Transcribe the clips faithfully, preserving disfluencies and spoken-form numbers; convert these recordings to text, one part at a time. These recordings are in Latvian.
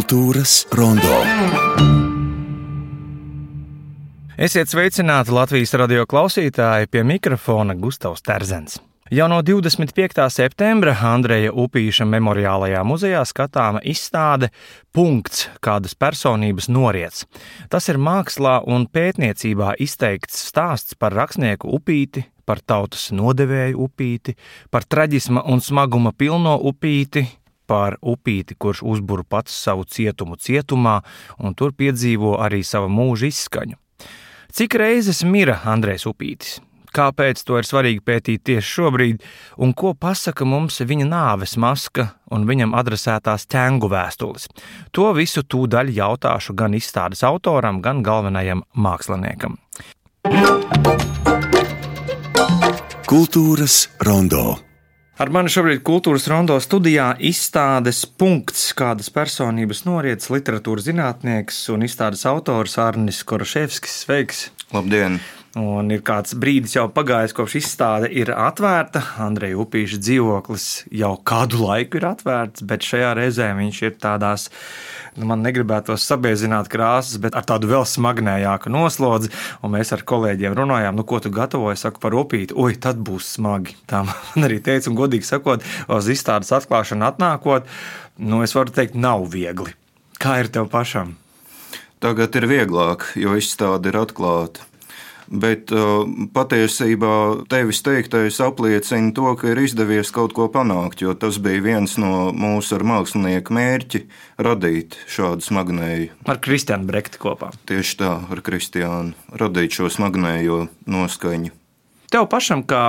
Kultūras rondo. Esiet sveicināti Latvijas radio klausītāji, pie mikrofona Gustavs Terzens. Jau no divdesmit piektā septembra Andreja Upīša memoriālajā muzejā skatāma izstāde Punkts, kādas personības noriets. Tas ir mākslā un pētniecībā izteikts stāsts par rakstnieku Upīti, par tautas nodevēju Upīti, par traģisma un smaguma pilno Upīti, par Upīti, kurš uzbur pats savu cietumu cietumā un tur piedzīvo arī savu mūža izskaņu. Cik reizes mira Andrejs Upītis? Kāpēc to ir svarīgi pētīt tieši šobrīd, un ko pasaka mums viņa nāves maska un viņam adresētās ķengu vēstules? To visu tūdaļ jautāšu gan izstādes autoram, gan galvenajam māksliniekam. Kultūras rondo. Ar mani šobrīd Kultūras rondo studijā izstādes Punkts, kādas personības noriets literatūras zinātnieks un izstādes autors Arnis Koroševskis. Sveiks! Labdien! Un ir kāds brīdis jau pagājis, kopš izstāde ir atvērta. Andreja Upīša dzīvoklis jau kādu laiku ir atvērts, bet šajā reizē viņš ir tādās, nu, man negribētos sabiezināt krāsas, bet ar tādu vēl smagnējāku noslodzi. Un mēs ar kolēģiem runājām, nu, ko tu gatavoji, saku par Upīti. Oi, tad būs smagi. Tā man arī teica, un godīgi sakot, uz izstādes atklāšanu atnākot, nu, es varu teikt, nav viegli. Kā ir tev pašam? Tagad ir vieglāk, jo izstāde ir atklāta. Bet uh, patiesībā tevis teiktais apliecina to, ka ir izdevies kaut ko panākt, jo tas bija viens no mūsu ar mākslinieku mērķi radīt šādu smagnēju. Ar Kristiānu Brekti kopā. Tieši tā, ar Kristiānu, radīt šo smagnējo noskaņu. Tev pašam, kā,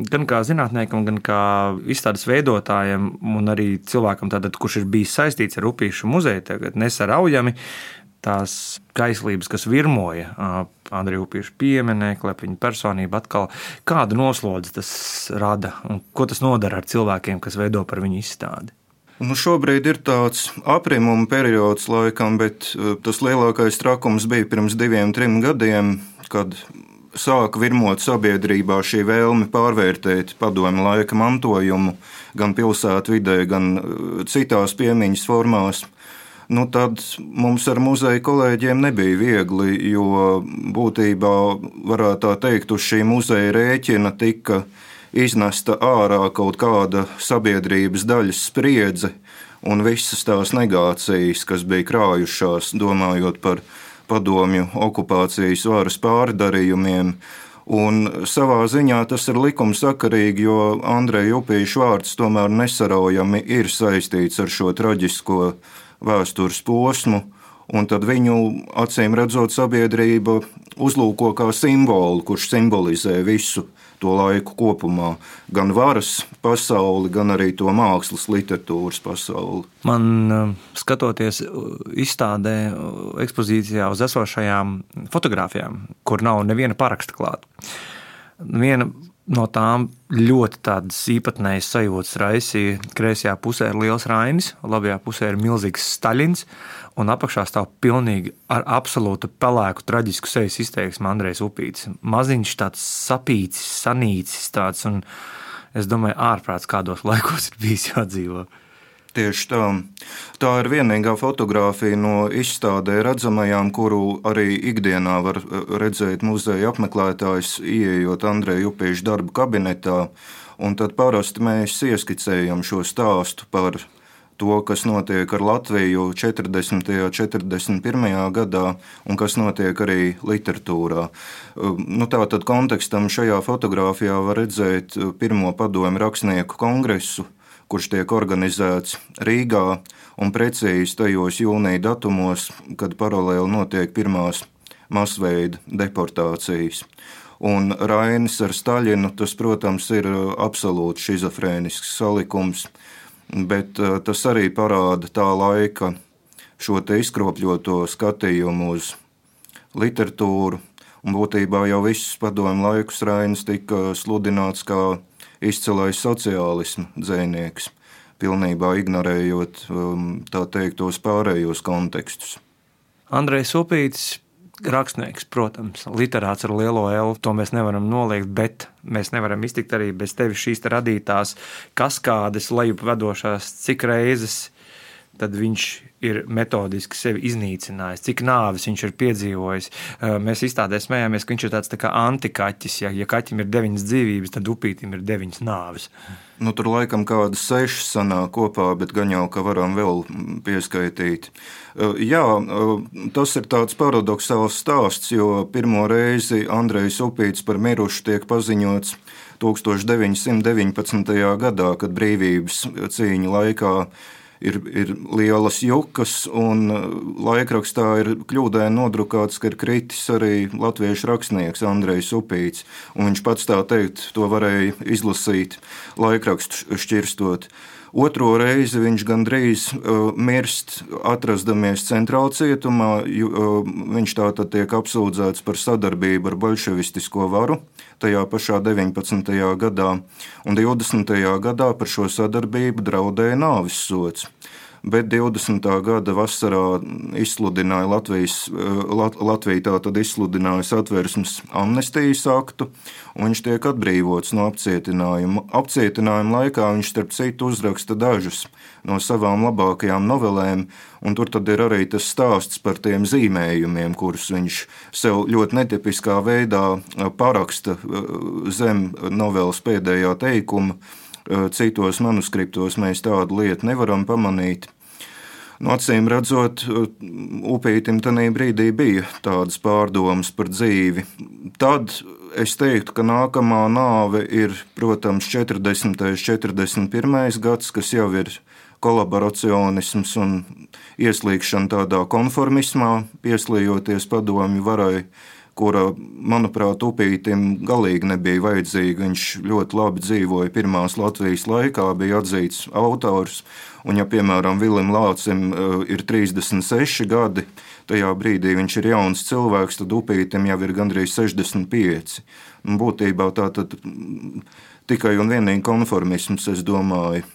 gan kā zinātniekam, gan kā izstādes veidotājam un arī cilvēkam, tātad, kurš ir bijis saistīts ar Upīšu muzeju, tagad nesaraujami, tās kaislības, kas virmoja Andreja Upīša pieminekli, viņa personība atkal, kādu noslodzi tas rada un ko tas nodara ar cilvēkiem, kas veido par viņu izstādi? Nu, šobrīd ir tāds aprimuma periods laikam, bet tas lielākais trakums bija pirms diviem, trim gadiem, kad sāka virmot sabiedrībā šī vēlme pārvērtēt padomju laika mantojumu gan pilsētvidē, gan citās piemiņas formās. Nu, tad mums ar muzeja kolēģiem nebija viegli, jo būtībā, varētu tā teikt, uz šī muzeja rēķina tika iznesta ārā kaut kāda sabiedrības daļas spriedze un visas tās negācijas, kas bija krājušās, domājot par padomju okupācijas varas pārdarījumiem. Un savā ziņā tas ir likumsakarīgi, jo Andreja Upīša vārds tomēr nesaraujami ir saistīts ar šo traģisko vēstures posmu, un tad viņu, acīm redzot, sabiedrība uzlūko kā simbolu, kurš simbolizē visu to laiku kopumā. Gan varas pasauli, gan arī to mākslas literatūras pasauli. Man, skatoties izstādē, ekspozīcijā uz esošajām fotogrāfijām, kur nav neviena paraksta klāta, viena no tām ļoti tādas īpatnējas sajūtas raisīja. Kreisajā pusē ir liels Rainis, labajā pusē ir milzīgs Staļins, un apakšā stāv pilnīgi ar absolūtu pelēku traģisku sejas izteiksmi Andrejs Upītis. Maziņš tāds sapīcis, sanīcis tāds, un es domāju, ārprāts kādos laikos ir bijis jādzīvo. Tieši tā. Tā ir vienīgā fotogrāfija no izstādē redzamajām, kuru arī ikdienā var redzēt muzeja apmeklētājs, ieejot Andreja Upīša darba kabinetā, un tad parasti mēs ieskicējam šo stāstu par to, kas notiek ar Latviju četrdesmitajā, četrdesmit pirmajā gadā un kas notiek arī literatūrā. Nu, tātad kontekstam šajā fotogrāfijā var redzēt pirmo padomju rakstnieku kongresu, kurš tiek organizēts Rīgā un precīzi tajos jūnija datumos, kad paralēli notiek pirmās masveida deportācijas. Un Rainis ar Staļinu, tas, protams, ir absolūti šizofrēnisks salikums, bet tas arī parāda tā laika šo te izkropļoto skatījumu uz literatūru, un būtībā jau visus padomju laikus Rainis tika sludināts kā izcilais sociālisma dzejnieks, pilnībā ignorējot, tā teikt, tos pārējos kontekstus. Andrejs Upītis, rakstnieks, protams, literāts ar lielo L, to mēs nevaram noliegt, bet mēs nevaram iztikt arī bez tevis šīs radītās kaskādes lejup vedošās, cik reizes tad viņš ir metodiski sevi iznīcinājis, cik nāves viņš ir piedzīvojis. Mēs izstādē smējāmies, ka viņš ir tāds tā kā antikaķis. Ja, ja kaķim ir deviņas dzīvības, tad upītim ir deviņas nāves. Nu, tur laikam kādas sešas sanāk kopā, bet gan jau, ka varam vēl pieskaitīt. Jā, tas ir tāds paradoxāls stāsts, jo pirmo reizi Andrejs Upīts par mirušu tiek paziņots tūkstoš deviņi simti deviņpadsmitajā gadā, kad brīvības cīņa laikā ir, ir lielas jukas, un laikrakstā ir kļūdaini nodrukāts, ka ir kritis arī latviešu rakstnieks Andrejs Upīts, un viņš pats tā teikt to varēja izlasīt laikrakstu šķirstot. Otro reizi viņš gandrīz uh, mirst, atrastamies centrāla cietumā. Uh, viņš tātad tiek apsūdzēts par sadarbību ar bolševistisko varu tajā pašā deviņpadsmitajā gadā, un divdesmitajā gadā par šo sadarbību draudēja nāves sods. Bet divdesmitā gada vasarā izsludināja Latvijas, Lat, Latvija tātad izsludināja Satversmes amnestijas aktu, un viņš tiek atbrīvots no apcietinājuma. Apcietinājuma laikā viņš starp citu uzraksta dažus no savām labākajām novelēm, un tur tad ir arī tas stāsts par tiem zīmējumiem, kurus viņš sev ļoti netipiskā veidā paraksta zem novelas pēdējā teikuma. Citos manuskriptos mēs tādu lietu nevaram pamanīt. No acīm redzot, Upītim tanī brīdī bija tādas pārdomas par dzīvi. Tad es teiktu, ka nākamā nāve ir, protams, četrdesmitais, četrdesmit pirmais gads, kas jau ir kolaboracionisms un ieslīgšana tādā konformismā, pieslījoties padomju varai, kura, manuprāt, Upītim galīgi nebija vajadzīga. Viņš ļoti labi dzīvoja pirmās Latvijas laikā, bija atzīts autors, un ja, piemēram, Vilim Lācim ir trīsdesmit seši gadi, tajā brīdī viņš ir jauns cilvēks, tad Upītim jau ir gandrīz sešdesmit pieci. Un būtībā tā tad tikai un vienīgi konformisms, es domāju,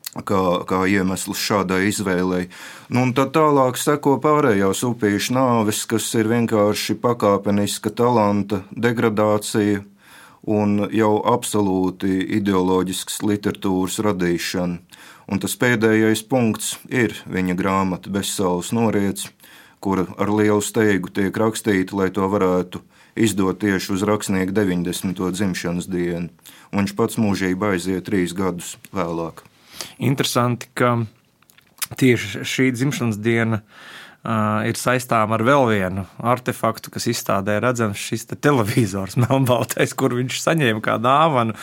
Kā, kā iemesls šādai izvēlei. Nu, un tad tālāk seko pārējās Upīša nāves, kas ir vienkārši pakāpeniska talanta degradācija un jau absolūti ideoloģisks literatūras radīšana. Un tas pēdējais punkts ir viņa grāmata Bezsaules noriets, kura ar lielu steigu tiek rakstīta, lai to varētu izdot tieši uz rakstnieka deviņdesmito dzimšanas dienu. Un viņš pats mūžībā aiziet trīs gadus vēlāk. Interesanti, ka tieši šī dzimšanas diena uh, ir saistām ar vēl vienu artefaktu, kas izstādē redzams šis te televizors melnbaltais, kur viņš saņēma kā dāvanu,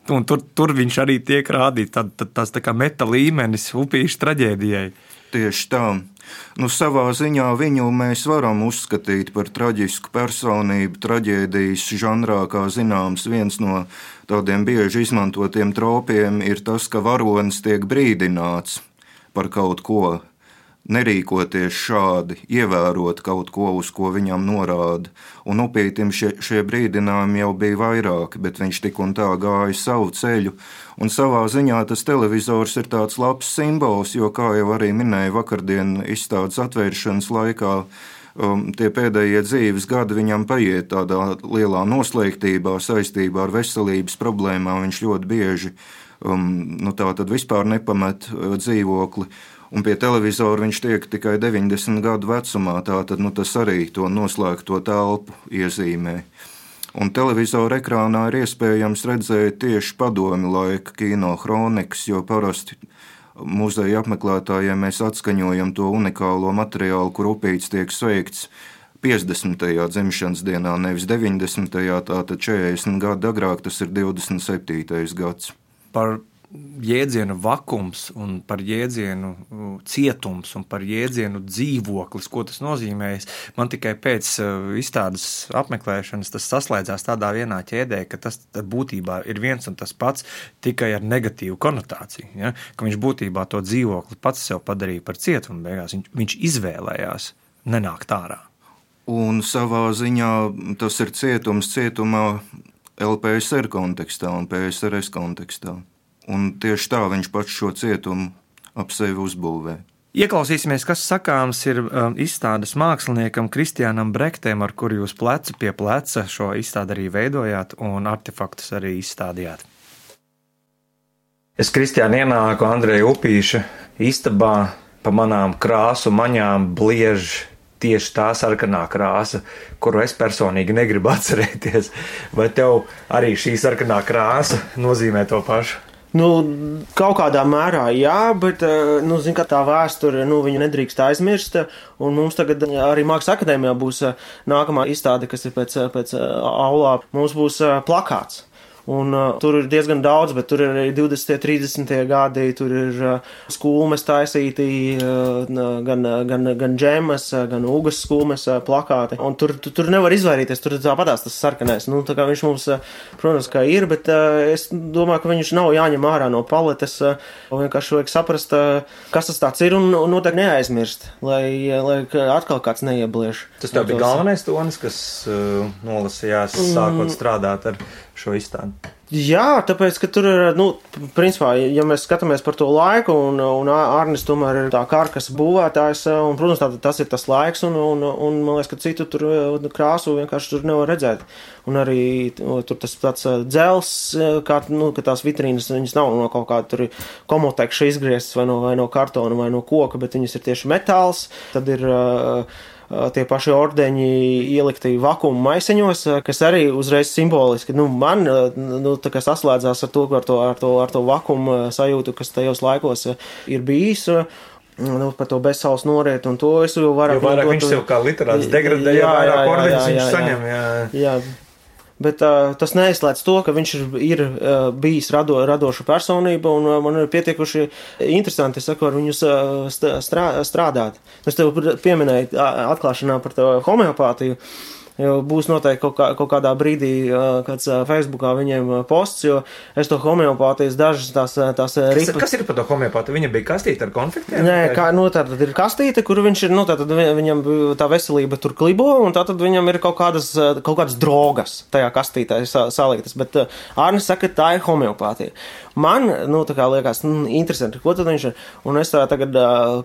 un tur, tur viņš arī tiek rādīts. Tad, tad tas tā kā meta līmenis Upīša traģēdijai. Tieši tā. Nu, savā ziņā viņu mēs varam uzskatīt par traģisku personību, traģēdijas žanrā, kā zināms, viens no tādiem bieži izmantotiem tropiem ir tas, ka varonis tiek brīdināts par kaut ko, nerīkoties šādi, ievērot kaut ko, uz ko viņam norāda. Un Upītim šie, šie brīdinājumi jau bija vairāki, bet viņš tik un tā gāja savu ceļu. Un savā ziņā tas televizors ir tāds labs simbols, jo, kā jau arī minēja vakardien izstādes atvēršanas laikā, um, tie pēdējie dzīves gadi viņam paiet tādā lielā noslēgtībā saistībā ar veselības problēmām. Viņš ļoti bieži um, nu, tā tad vispār nepamet uh, dzīvokli. Un pie televizora viņš tiek tikai deviņdesmit gadu vecumā, tātad nu, tas arī to noslēgto telpu iezīmē. Un televizora ekrānā ir iespējams redzēt tieši padomju laika kino hronikas, jo parasti muzeja apmeklētājiem mēs atskaņojam to unikālo materiālu, kur Upīts tiek sveikts piecdesmitajā dzimšanas dienā, nevis deviņdesmitajā, tātad četrdesmit gadu agrāk, tas ir divdesmit septītais gads. Par jēdzienu vakums un par jēdzienu cietums un par jēdzienu dzīvoklis, ko tas nozīmējas. Man tikai pēc izstādes apmeklēšanas tas saslēdzās tādā vienā ķēdē, ka tas būtībā ir viens un tas pats, tikai ar negatīvu konotāciju. Ja? Ka viņš būtībā to dzīvokli pats sev padarīja par cietumu beigās. Viņš, viņš izvēlējās nenākt ārā. Un savā ziņā tas ir cietums cietumā L P S R kontekstā un P S R S kontekstā. Un tieši tā viņš pats šo cietumu ap sevi uzbūvē. Ieklausīsimies, kas sakāms ir um, izstādes māksliniekam Kristiānam Brektem, ar kuru jūs plecu pie pleca šo izstādi arī veidojāt un artefaktus arī izstādījāt. Es, Kristiāna, ienāku Andreja Upīša istabā pa manām krāsu maņām bliež tieši tā sarkanā krāsa, kuru es personīgi negribu atcerēties. Vai tev arī šī sarkanā krāsa nozīmē to pašu? Nu, kaut kādā mērā jā, bet, nu, zin, ka tā vēsture, nu, viņu nedrīkst aizmirst, un mums tagad arī Mākslas akadēmijā būs nākamā izstāde, kas ir pēc, pēc aulā, mums būs plakāts. Un uh, tur ir diezgan daudz, bet tur ir arī divdesmitie, trīsdesmitie gadi, tur ir uh, skulmes taisīti, uh, gan, gan, gan džemas, gan ugas skulmes uh, plakāti. Un tur, tu, tur nevar izvairīties, tur tāpatās tas sarkanais. Nu, tā kā viņš mums, uh, protams, kā ir, bet uh, es domāju, ka viņš nav jāņem ārā no paletes. Uh, vienkārši vajag saprast, uh, kas tas tāds ir, un, un noteikti neaizmirst, lai, lai atkal kāds neieblieš. Tas tev bija galvenais tonis, kas uh, nolasījās, sākot strādāt ar šo izstādi. Jā, tāpēc, ka tur ir, nu, principā, ja mēs skatāmies par to laiku, un, un Arnis tomēr ir tā karkas būvētājs, un, protams, tā, tas ir tas laiks, un, un, un man liekas, ka citu tur krāsu vienkārši tur nevar redzēt. Un arī tur tas tāds dzels, kā, nu, ka tās vitrīnas, viņas nav no kaut kāda tur komotekša izgrieztas vai no, vai no kartona vai no koka, bet viņas ir tieši metāls, tad ir uh, tie paši ordeņi ielikti vakuma maisiņos, kas arī uzreiz simboliski, nu, man, nu, tā kā saslēdzās ar to, ar to, ar to, ar to vakuma sajūtu, kas tajos laikos ir bijis, nu, par to bezsaules norietu, un to es jau vairāk... Jo vairāk viņš sev kā literāts degradē, jo vairāk ordeņus viņš saņem, jā. Jā. Bet uh, tas neizslēdz to, ka viņš ir, ir uh, bijis rado, radoša personība, un uh, man ir pietiekuši interesanti, es saku, ar viņu strā, strādāt. Es tev pieminēju atklāšanā par to homeopātiju. Jo būs noteikti kaut, kā, kaut kādā brīdī kāds Facebookā viņiem posts, jo es to homeopātijas dažas tās, tās ripas... Kas, kas ir par to homeopātiju? Viņa bija kastīte ar konfliktiem? Nē, kā, nu tātad ir kastīte, kur viņš ir, nu tātad viņam tā veselība tur klibo, un tātad viņam ir kaut kādas, kaut kādas drogas tajā kastītē saliktas, bet Arnis saka, tā ir homeopātija. Man, nu tā kā liekas, nu, interesanti, ko tad viņš ir, un es tā tagad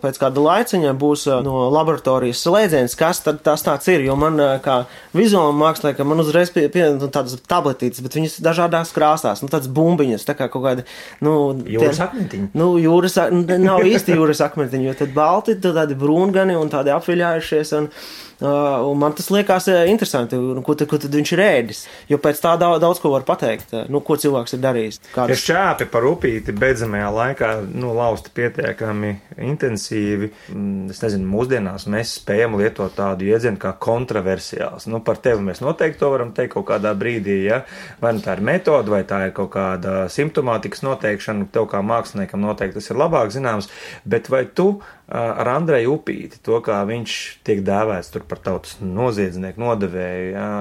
pēc kāda laiciņa būs no laboratorijas slēdziens, kas tad tas tāds ir, jo man kā vizuāla mākslā, ka man uzreiz pie, pie nu, tādas tabletītes, bet viņas dažādās krāsās, nu tādas bumbiņas, tā kā kaut kāda, nu... Jūras akmentiņi? Nu, jūras, nav īsti jūras akmentiņi, jo tad balti, tad tādi brūngani un tādi apviļājušies, un, uh, un man tas liekas interesanti, ko, tad, ko tad viņš ir ēdis, jo pēc tā daudz, daudz ko var pateikt, nu, ko cilvēks ir darījis. Kādas... Ja šķēpi par upīti beidzamajā laikā, nu, lausti pietiekami intensīvi, es nezinu, mūsdienās mēs spējam lietot tādu iedzienu kā kontroversiāls. Nu, par tevi mēs noteikti to varam teikt kaut kādā brīdī, ja? Vai nu tā ir metoda, vai tā ir kaut kāda simptomātikas noteikšana, tev kā māksliniekam noteikti tas ir labāk zināms, bet vai tu ar Andreju Upīti, to kā viņš tiek dēvēts tur par tautas noziedznieku, nodevēju, ja?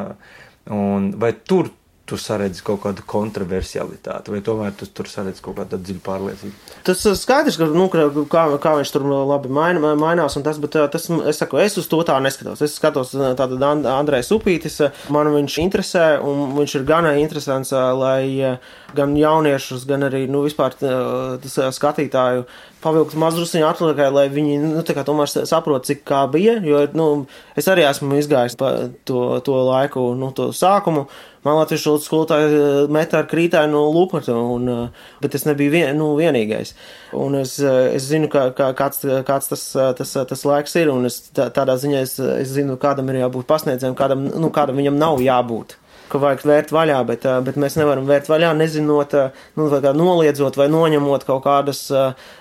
Un vai tur tu saredzi kaut kādu kontroversialitāti, vai tomēr tu tur saredzi kaut kādu dziļu pārliecību? Tas skaidrs, ka, nu, kā, kā viņš tur labi maina, mainās un tas, bet tas, es saku, es uz to tā neskatos. Es skatos tātad Andrejs Upītis, man viņš interesē, un viņš ir gan interesants, lai gan jauniešus, gan arī, nu, vispār tas skatītāju pavilkt mazdrusiņu atlikai, lai viņi, nu, tā kā tomēr saprot, cik kā bija, jo, nu, es arī esmu izgājis pa to, to laiku, nu, to sākumu. Man latviešu skolotāji metā ar krītāju no lupata, un, bet es nebiju vien, nu, vienīgais. Un es, es zinu, kā, kā, kāds, kāds tas, tas, tas laiks ir, un es tā, tādā ziņā es, es zinu, kādam ir jābūt pasniedzējiem, kādam, nu, kādam viņam nav jābūt. Ka vajag vērt vaļā, bet, bet mēs nevaram vērt vaļā, nezinot, nu, vai kā noliedzot vai noņemot kaut kādas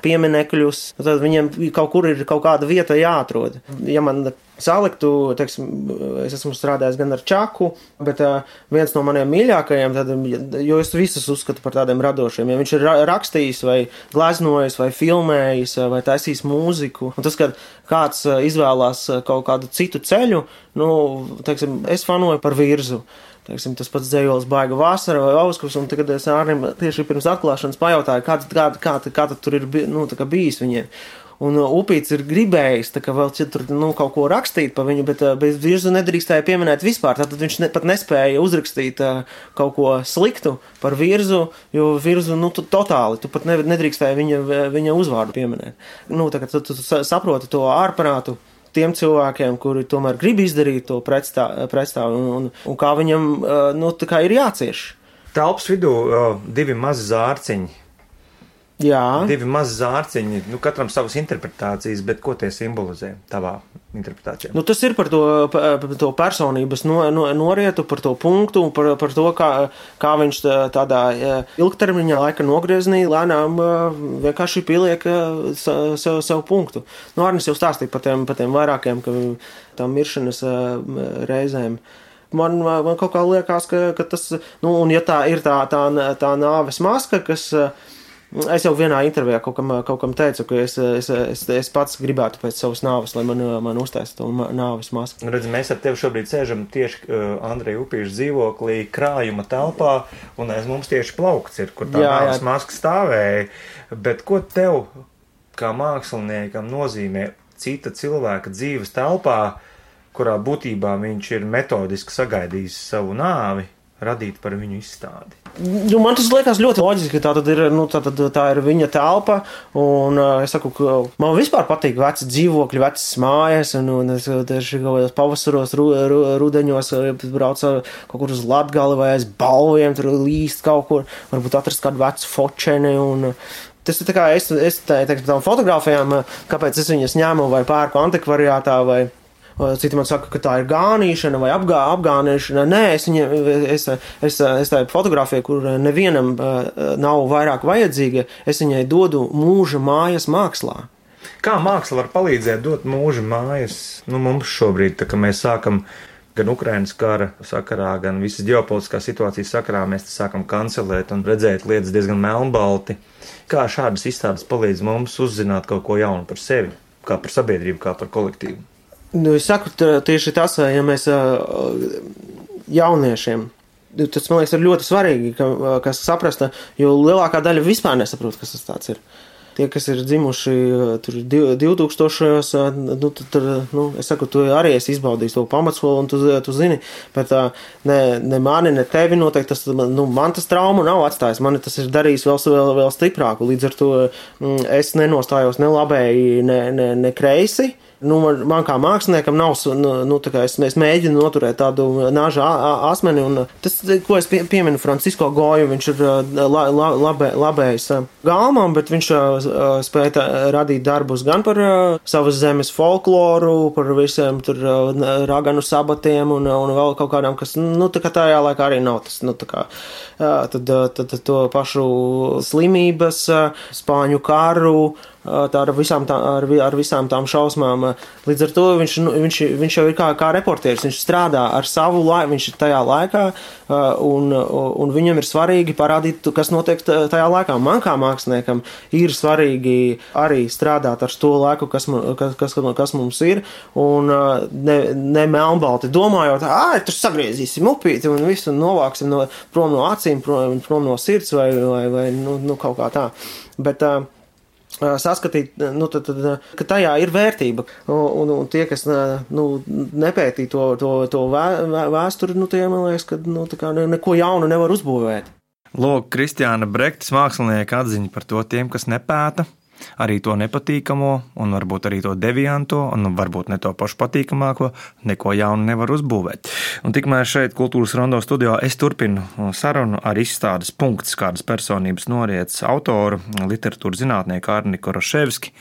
pieminekļus. Tad viņiem kaut kur ir kaut kāda vieta jāatrod. Ja man saliktu, teiksim, es esmu strādājis gan ar čaku, bet viens no maniem mīļākajiem, tad, jo es visus uzskatu par tādiem radošiem, ja viņš ir rakstījis vai gleznojis vai filmējis vai taisījis mūziku, un tas, kad kāds izvēlās kaut kādu citu ceļu, nu, teiksim, es fanoju par Virzu. Teiksim, tas pats dzējols Baiga vasara vai Auskus, un tagad es Ārnim tieši pirms atklāšanas pajautāju, kā, kā, kā, kā tad tur ir, nu, tā kā bijis viņiem. Un Upīts ir gribējis, tā kā vēl tur, nu, kaut ko rakstīt pa viņu, bet bez Virzu nedrīkstēja pieminēt vispār, tātad viņš ne, pat nespēja uzrakstīt kaut ko sliktu par Virzu, jo Virzu, nu, tu, totāli, tu pat nedrīkstēja viņa, viņa uzvārdu pieminēt. Nu, tā kā tu, tu saproti to ārprātu tiem cilvēkiem, kuri tomēr grib izdarīt to pretstāvu, un, un, un kā viņam, nu, tā kā ir jācieš. Telpas vidū divi mazi zārciņi. Jā. Divi mazi zārciņi, nu, katram savas interpretācijas, bet ko tie simbolizē tavā interpretācijā? Nu, tas ir par to, par to personības no, no, norietu, par to punktu, par, par to, kā, kā viņš tādā ilgtermiņā laika nogrieznī lēnām vienkārši pieliek sev, sev punktu. Nu, Arnis jau stāstīja par tiem, par tiem vairākiem, ka tām miršanas reizēm. Man, man kaut kā liekas, ka, ka tas, nu, un ja tā ir tā, tā, tā nāves maska, kas... Es jau vienā intervijā kaut kam, kaut kam teicu, ka es, es, es, es pats gribētu pēc savas nāves, lai man, man uztaisa to nāves masku. Redzi, mēs ar tevi šobrīd sēžam tieši uh, Andreja Upīša dzīvoklī, krājuma telpā, un aiz mums tieši plaukts ir, kur tā jā, nāves jā. Maska stāvēja. Bet ko tev, kā māksliniekam, nozīmē cita cilvēka dzīves telpā, kurā būtībā viņš ir metodiski sagaidījis savu nāvi, radīt par viņu izstādi? Nu, man tas liekas ļoti loģiski, ka tā, tad ir, nu, tā, tad, tā ir viņa telpa, un es saku, ka man vispār patīk veci dzīvokļi, vecas mājas, un, un es tieši kaut kādos pavasaros, ru, ru, rudeņos braucu kaut kur uz Latgali vai aiz balviem, tur līst kaut kur, varbūt atrast kādu vecu fočeni, un tas ir tā kā es, es tā, teiksim, tām fotogrāfijām, kāpēc es viņas ņēmu vai pērku antikvariātā vai citi man saka, ka tā ir gānīšana vai apgā, apgānīšana. Nē, es, viņa, es, es, es tā fotografiju, kur nevienam nav vairāk vajadzīga, es viņai dodu mūža mājas mākslā. Kā māksla var palīdzēt dot mūža mājas? Nu, mums šobrīd, tā kā mēs sākam gan Ukrainas kara sakarā, gan visas ģeopolitiskās situācijas sakarā, mēs sākam kancelēt un redzēt lietas diezgan melnbalti. Kā šādas izstādes palīdz mums uzzināt kaut ko jaunu par sevi, kā par sabiedrību, kā par kolektīvu? Nu, es saku tieši tas, ja mēs jauniešiem, tas, man liekas, ir ļoti svarīgi, ka, kas saprast, jo lielākā daļa vispār nesaprot, kas tas tāds ir. Tie, kas ir dzimuši tur divtūkstošajos, nu, tur, nu, es saku, tu arī esi izbaudījis to pamatskolu, un tu, tu zini, bet ne, ne mani, ne tevi noteikti, tas, nu, man tas trauma nav atstājis, mani tas ir darījis vēl, vēl, vēl stiprāku, līdz ar to es nenostājos ne labēji, ne, ne, ne kreisi. Nu, man, man kā māksliniekam nav, nu, nu tā kā es, es mēģinu noturēt tādu nāža asmeni, un tas, ko es pie, pieminu Francisko Goju, viņš ir la, la, labē, labējs galmām, bet viņš spēja radīt darbus gan par savas zemes folkloru, par visiem tur raganu sabatiem un, un vēl kaut kādām, kas, nu, tā kā tajā laikā arī nav tas, nu, tā kā, tad, tad, tad to pašu slimības, Spāņu karu, tā ar visām, tā, ar, ar visām tām šausmām. Līdz ar to viņš, viņš, viņš jau ir kā, kā reportieris, viņš strādā ar savu laiku, viņš ir tajā laikā, un, un viņam ir svarīgi parādīt, kas notiek tajā laikā. Man kā māksliniekam ir svarīgi arī strādāt ar to laiku, kas, kas, kas, kas mums ir, un ne, ne melnbalti domājot, ā, tur sagriezīsim upīti un visu, un novāksim no, prom no acīm, prom, prom no sirds vai, vai, vai nu, nu, kaut kā tā. Bet saskatīt, nu, tad, tad, ka tajā ir vērtība, un, un tie, kas nu, nepētī to, to, to vēsturi, nu, tie, man liekas, ka nu, tā kā neko jaunu nevar uzbūvēt. Lūk, Kristiāna Brektes mākslinieka atziņa par to tiem, kas nepēta, arī to nepatīkamo, un varbūt arī to devianto, un varbūt ne to pašu patīkamāko, neko jaunu nevar uzbūvēt. Un tikmēr šeit Kultūras Rondo studijā es turpinu sarunu ar izstādes punkts, kādas personības noriets autoru, literatūras zinātnieku Arni Koroševski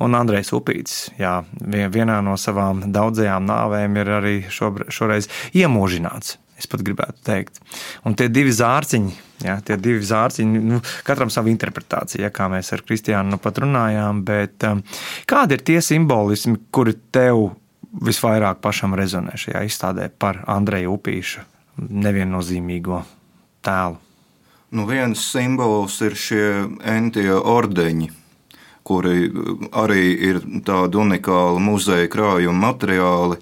un Andrejs Upītis. Jā, vienā no savām daudzajām nāvēm ir arī šobrīd, šoreiz iemūžināts. Es pat gribētu teikt. Un tie divi zārciņi, jā, tie divi zārciņi, nu, katram savu interpretāciju, ja, kā mēs ar Kristiānu nu pat runājām, bet um, kādi ir tie simbolismi, kuri tev visvairāk pašam rezonē šajā izstādē par Andreja Upīša neviennozīmīgo tēlu? Nu, viens simbols ir šie entie ordeņi, kuri arī ir tādi unikāli muzeja krājuma materiāli,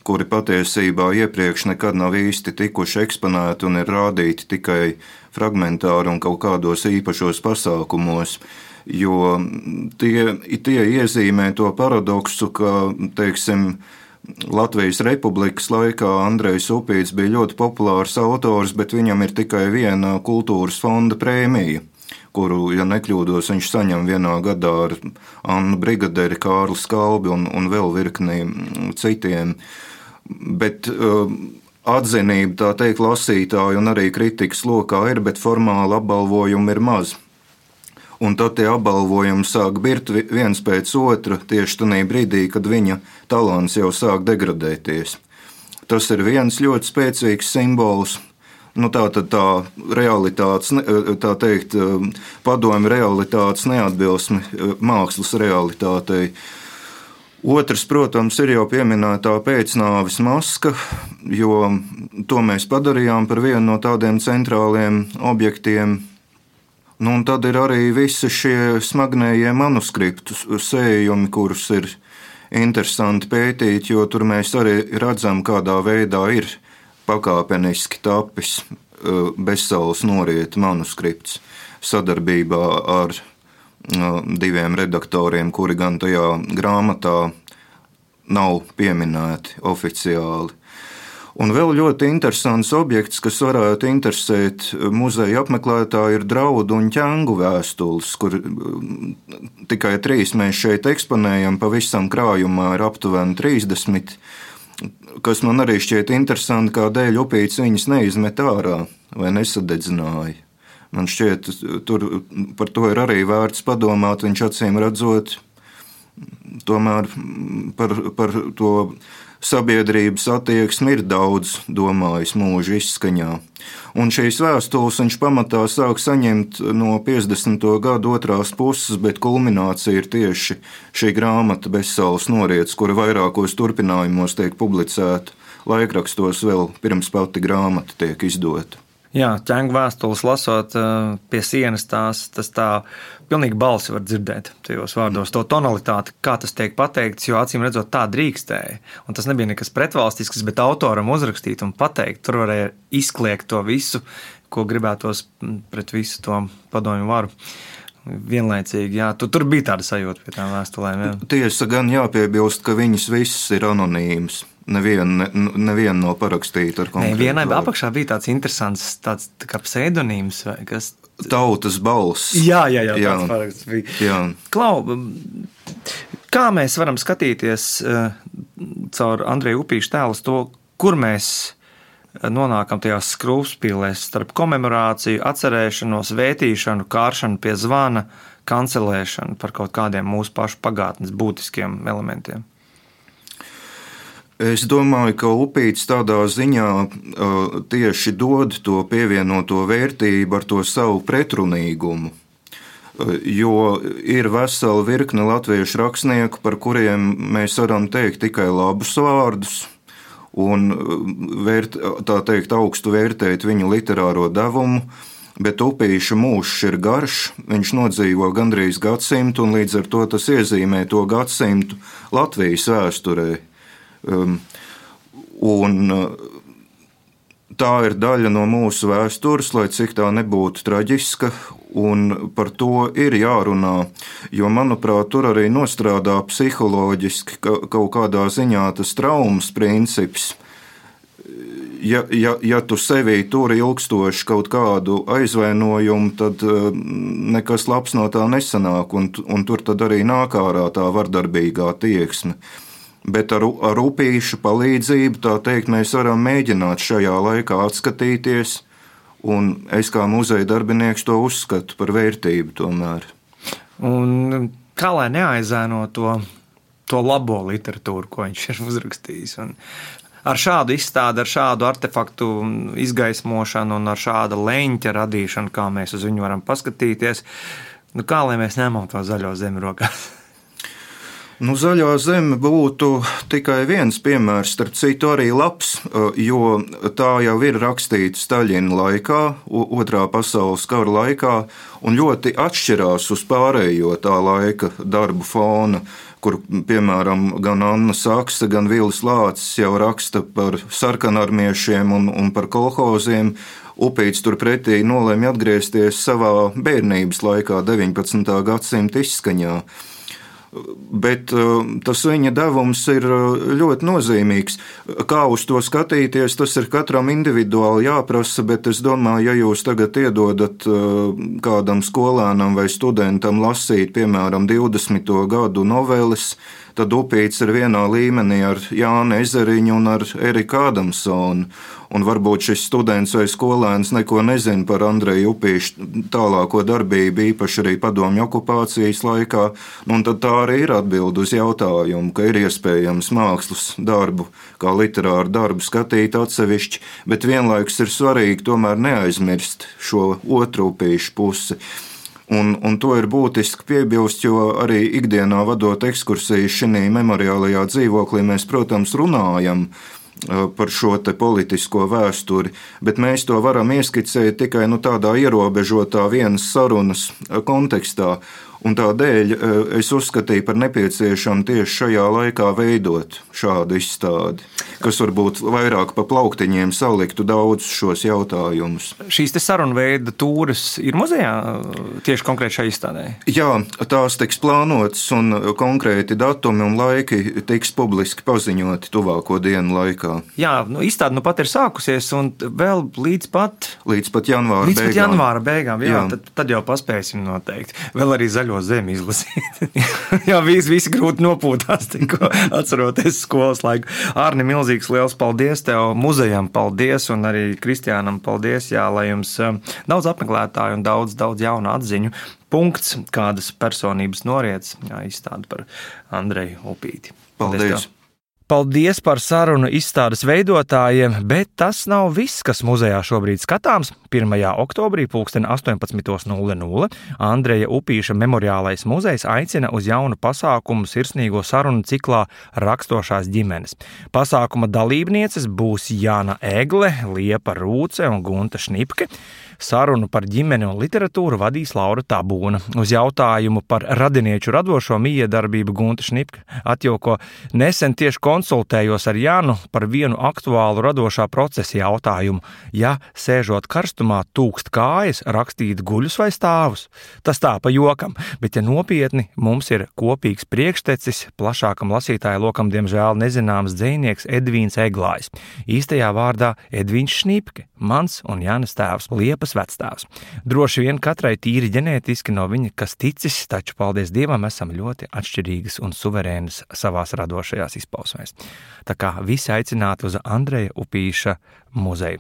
kuri patiesībā iepriekš nekad nav īsti tikuši eksponēti un ir rādīti tikai fragmentāri un kaut kādos īpašos pasākumos, jo tie, tie iezīmē to paradoksu, ka, teiksim, Latvijas Republikas laikā Andrejs Upītis bija ļoti populārs autors, bet viņam ir tikai viena kultūras fonda prēmija, kuru, ja nekļūdos, viņš saņem vienā gadā ar Annu Brigaderi, Kārli Skalbi un, un vēl virkni citiem. Bet uh, atzinība, tā teikt, lasītāju un arī kritikas lokā ir, bet formāli apbalvojumi ir maz. un tad tie apbalvojumi sāk birt viens pēc otra tieši tajā brīdī, kad viņa talants jau sāk degradēties. Tas ir viens ļoti spēcīgs simbols. Nu, tā tad tā realitātes, tā teikt, padomju realitātes neatbilsme mākslas realitātei. Otrs, protams, ir jau pieminētā pēcnāves maska, jo to mēs padarījām par vienu no tādiem centrāliem objektiem. Nu, un tad ir arī visi šie smagnējie manuskriptu sējumi, kurus ir interesanti pētīt, jo tur mēs arī redzam, kādā veidā ir pakāpeniski tapis Bezsaules norieta manuskripts sadarbībā ar diviem redaktoriem, kuri gan tajā grāmatā nav pieminēti oficiāli. Un vēl ļoti interesants objekts, kas varētu interesēt muzeja apmeklētāju, ir draudu un ķengu vēstules, kur tikai trīs mēs šeit eksponējam, pavisam krājumā ir aptuveni trīsdesmit, kas man arī šķiet interesanti, kādēļ Upīts viņas neizmet ārā vai nesadedzināja. Man šķiet, tur par to ir arī vērts padomāt, viņš acīm redzot tomēr par, par to sabiedrības attieksmi ir daudz domājis mūža izskaņā. Un šīs vēstules viņš pamatā sāk saņemt no piecdesmito gadu otrās puses, bet kulminācija ir tieši šī grāmata Bezsaules noriets, kura vairākos turpinājumos tiek publicēta laikrakstos vēl pirms pati grāmata tiek izdota. Jā, ķengu vēstules lasot pie sienas, tās, tas tā pilnīgi balsi var dzirdēt tajos vārdos, to tonalitāti, kā tas tiek pateikts, jo acīm redzot tā drīkstēja. Un tas nebija nekas pretvalstisks, bet autoram uzrakstīt un pateikt, tur varēja izkliegt to visu, ko gribētos pret visu to padomju varu. Vienlaicīgi, jā, tu, tur bija tāda sajūta pie tām vēstulēm. Jā. Tiesa gan jāpiebilst, ka viņas visas ir anonīmas. Neviena ne, nevien nav parakstīta ar konkrētu. Vienai apakšā bija tāds interesants tāds tā kā pseidonīms vai kas. Tautas balss. Jā, jā, jā, jā. Tāds paraksts bija. Jā. Klau, kā mēs varam skatīties caur Andreja Upīša tēlus to, kur mēs nonākam tajās skrūvspīlēs starp komemorāciju, atcerēšanos, vētīšanu, kāršanu pie zvana, kancelēšanu par kaut kādiem mūsu pašu pagātnes būtiskiem elementiem? Es domāju, ka Upīts tādā ziņā uh, tieši dod to pievienoto vērtību ar to savu pretrunīgumu, uh, jo ir vesela virkne latviešu rakstnieku, par kuriem mēs varam teikt tikai labus vārdus un vērt, tā teikt, augstu vērtēt viņu literāro devumu, bet Upīša mūžs ir garš, viņš nodzīvo gandrīz gadsimtu, un līdz ar to tas iezīmē to gadsimtu Latvijas vēsturē. Um, un tā ir daļa no mūsu vēstures, lai cik tā nebūtu traģiska, un par to ir jārunā, jo, manuprāt, tur arī nostrādā psiholoģiski ka, kaut kādā ziņā tas traumas princips. Ja, ja, ja tu sevī turi ilgstoši kaut kādu aizvainojumu, tad nekas labs no tā nesanāk, un, un tur tad arī nāk ārā tā vardarbīgā tieksme. Bet ar, ar Upīša palīdzību, tā teikt, mēs varam mēģināt šajā laikā atskatīties, un es kā muzeja darbinieks to uzskatu par vērtību tomēr. Un kā lai neaizēno to, to labo literatūru, ko viņš ir uzrakstījis? Un ar šādu izstādi, ar šādu artefaktu izgaismošanu un ar šāda leņķa radīšanu, kā mēs uz viņu varam paskatīties, nu kā lai mēs ņemam to zaļo zemi rokās? Nu, zaļā zeme būtu tikai viens piemērs, starp citu arī labs, jo tā jau ir rakstīta Staļina laikā, otrā pasaules kara laikā, un ļoti atšķirās uz pārējo tā laika darbu fona, kur, piemēram, gan Anna Saksa, gan Vils Lācis jau raksta par sarkanarmiešiem un, un par kolhoziem. Upīts turpretī nolēma atgriezties savā bērnības laikā, deviņpadsmitā gadsimta izskaņā. Bet tas viņa devums ir ļoti nozīmīgs. Kā uz to skatīties, tas ir katram individuāli jāprasa, bet es domāju, ja jūs tagad iedodat kādam skolēnam vai studentam lasīt, piemēram, divdesmito gadu noveles, tad Upīts ir vienā līmenī ar Jānu Ezeriņu un ar Eriku Ādamsonu. Un varbūt šis students vai skolēns neko nezina par Andreju Upīšu tālāko darbību, īpaši arī padomju okupācijas laikā. Un tad tā arī ir atbilde uz jautājumu, ka ir iespējams mākslas darbu, kā literāru darbu skatīt atsevišķi, bet vienlaikus ir svarīgi tomēr neaizmirst šo otru Upīšu pusi. Un, un to ir būtiski piebilst, jo arī ikdienā vadot ekskursijas šī memoriālajā dzīvoklī mēs, protams, runājam par šo te politisko vēsturi, bet mēs to varam ieskicēt tikai nu, tādā ierobežotā vienas sarunas kontekstā. Un tādēļ es uzskatīju par nepieciešamu tieši šajā laikā veidot šādu izstādi, kas varbūt vairāk pa plauktiņiem saliktu daudz šos jautājumus. Šīs te sarunveida tūres ir muzejā tieši konkrēti šai izstādē? Jā, tās tiks plānotas un konkrēti datumi un laiki tiks publiski paziņoti tuvāko dienu laikā. Jā, nu, izstāde nu pat ir sākusies un vēl līdz pat... Līdz pat janvāra līdz beigām. Līdz pat janvāra beigām, jā, jā. Tad, tad jau paspēsim noteikti. Vēl arī zaļo zemi izlasīt. Jā, visi, visi grūti nopūtās, tikko atceroties skolas laiku. Ārni, milzīgs liels paldies tev, muzejam paldies un arī Kristiānam paldies, jā, lai jums daudz apmeklētāju un daudz, daudz jaunu atziņu. Punkts, kādas personības noriec, jā, izstāda par Andreju Upīti. Paldies! Paldies, paldies par sarunu izstādes veidotājiem, bet tas nav viss, kas muzejā šobrīd skatāms. pirmajā oktobrī pulksten astoņpadsmit nulle nulle Andreja Upīša memoriālais muzejs aicina uz jaunu pasākumu sirsnīgo sarunu ciklā Rakstošās ģimenes. Pasākuma dalībnieces būs Jāna Egle, Liepa Rūce un Gunta Šnipke. Sarunu par ģimeni un literatūru vadīs Laura Tabūna. Uz jautājumu par radinieču radošo mijiedarbību Gunta Šnipke atjauko: nesen tieši konsultējos ar Jānu par vienu aktuālu radošā procesa jautājumu. Ja sēžot karstumā tūkst kājas, rakstīt guļus vai stāvus? Tas tā pa jokam, bet ja nopietni, mums ir kopīgs priekštecis, plašākam lasītāju lokam diemžēl nezināms dzejnieks Edvīns Eglājs. Īstajā vārdā Edvīns Šnipke, mans un Jānas tēvs, Liepas vectēvs. Droši vien katrai tīri ģenētiski no viņa kas ticis, taču paldies Dievam esam ļoti atšķirīgas un suverēnas savās radošajās izpausmēs. Tā kā visi aicināti uz Andreja Upīša muzeju.